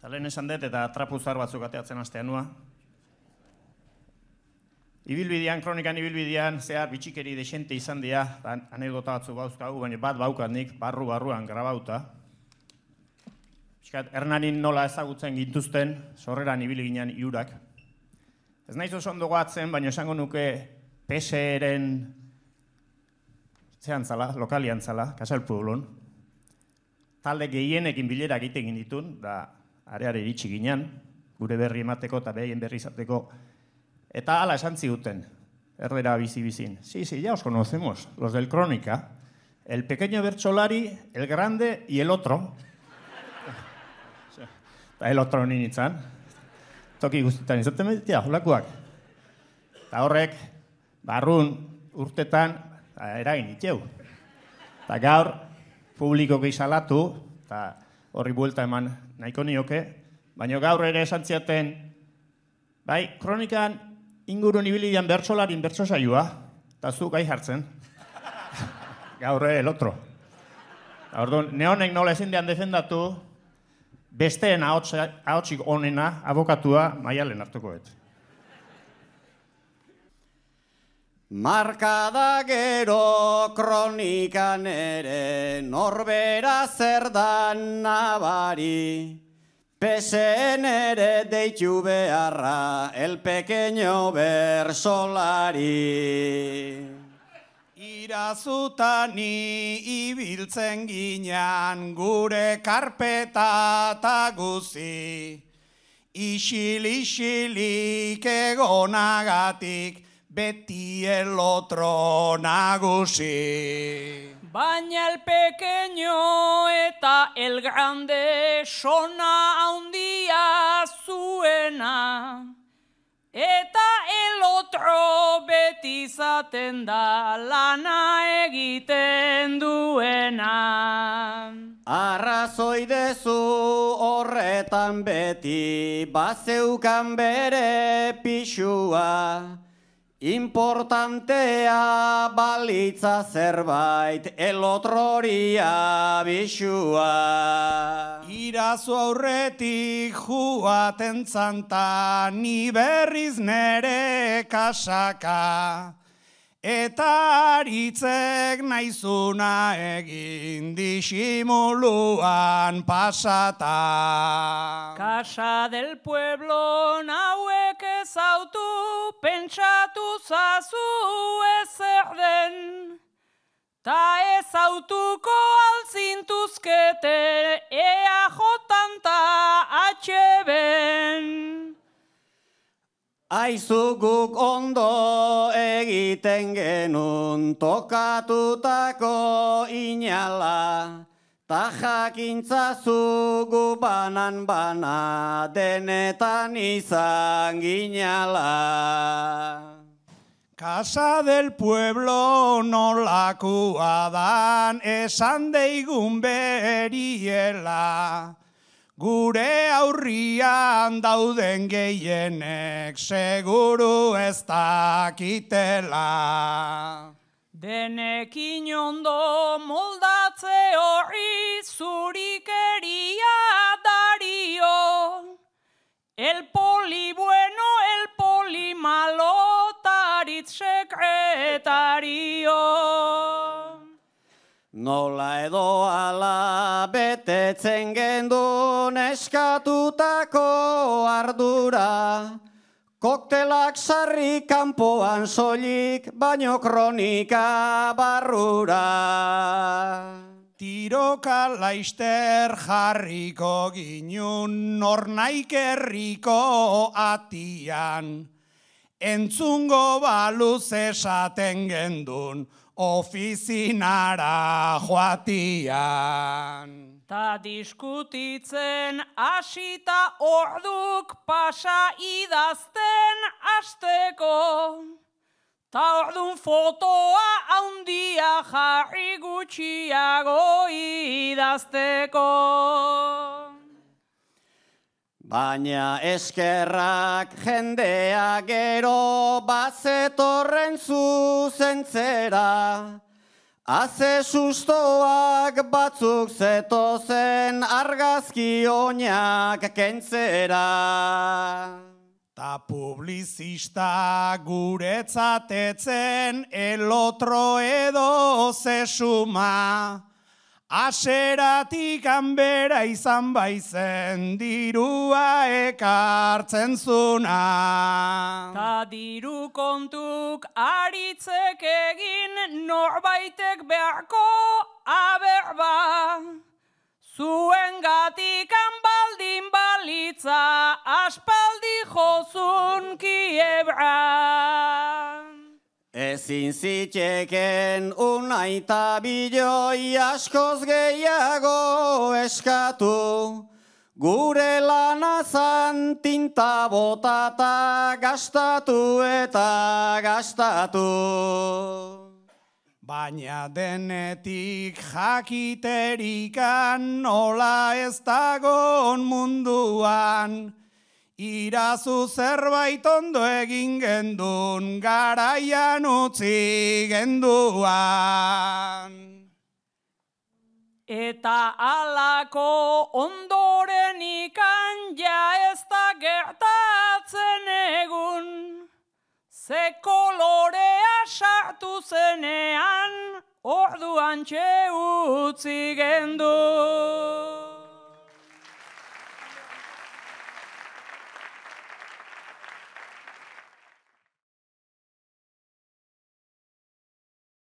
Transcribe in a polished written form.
Eta lehen esan dut eta trapuzar batzuk ateatzen astean nua. Ibilbidean, kronikan ibilbidean, zehar bitxikeri desente izan dira, anekdota batzu bauzkagu, baina bat baukat nik barruan grabauta. Hernanin nola ezagutzen gintuzten, sorreran ibili ginen iurak. Ez naiz oso ondo goatzen, baina esango nuke PSeren zean zala, lokalian zala, Kasal Pueblon. Talde gehienekin bilerak egiten ditun, da areare iritsi ginen, gure berri emateko eta behien berri izateko. Eta hala esan ziguten, erdera bizi-bizin. Sí, ya os conocemos, los del Crónica. El pequeño bertsolari, el grande y el otro. Eta el otro ninitzan. Toki guztietan izaten meditea, holakoak. Eta horrek, barrun urtetan, eragin itxeu. Eta gaur, publikoki salatu, eta horri buelta eman nahiko nioke, baina gaur ere esan ziaten, bai, kronikan ingurun ibilian bertsolarin bertsosaioa, eta zu gai jartzen. Gaur el otro. Orduan, neonek nola ezin dean defendatu, besteen ahotsik onena, abokatua, Maialen hartukoet. Markada gero kronikan ere norbera zer dan nabari, PSen ere deitu beharra el pequeño bersolari. Irazutani ibiltzen ginean gure karpeta eta guzi, isilik egonagatik beti el otro nagusi. Baina el pequeño eta el grande sona handia zuena, eta el otro beti izaten da lana egiten duena. Arrazoi dezu horretan beti bazeukan bere pixua, importantea balitza zerbait el otroria bisua. Irazu aurretik juaten zanta ni berriz nere kasaka, eta aritzek naizuna egin disimuluan pasata. Casa del Pueblo hauek ezautu, pentsatu zazu ezer den, ta ezautuko altzintuzkete EAJ-an ta HB-en. Aizu guk ondo egiten genuen tokatutako inala, ta jakintzazu gu banan-bana denetan izan ginala. Casa del Pueblo nolakoa dan esan deigun beriela, gure aurrian dauden gehienek seguru ez dakitela. Denekin ondo moldatze horri zurikeria dario, el poli bueno, el poli malo, taritz sekretario. Nola edo ala betetzen gendun eskatutako ardura, koktelak sarri kanpoan soilik, baino kronika barrura. Tiroka laister jarriko ginun nornaik herriko atian, entzungo baluz esaten gendun ofizinara joatian. Ta diskutitzen hasita orduk pasa idazten hasteko, ta ordun fotoa handia jarri gutxiago idazteko. Baina eskerrak jendea gero bazetorren zuzentzera, Haze sustoak batzuk zetozen argazki oinak kentzera. Ta publizista guretzatetzen el otro edo zesuma. Aseratik hanbera izan baizen dirua ekartzen zuna. Ta diru kontuk aritzek egin norbaitek beharko aberba. Zuen gatikan baldin balitza aspaldi jozun kiebra. Ezin ziteken unaita biloi askoz gehiago eskatu. Gure lanazan tinta botata gastatu eta gastatu. Baina denetik jakiterikan nola ez dagon munduan. Irazu zerbait ondo egin gendun, garaian utzi genduan. Eta alako ondoren ikan ja ez da gertatzen egun. Ze kolorea sartu zenean, orduan utzi gendu.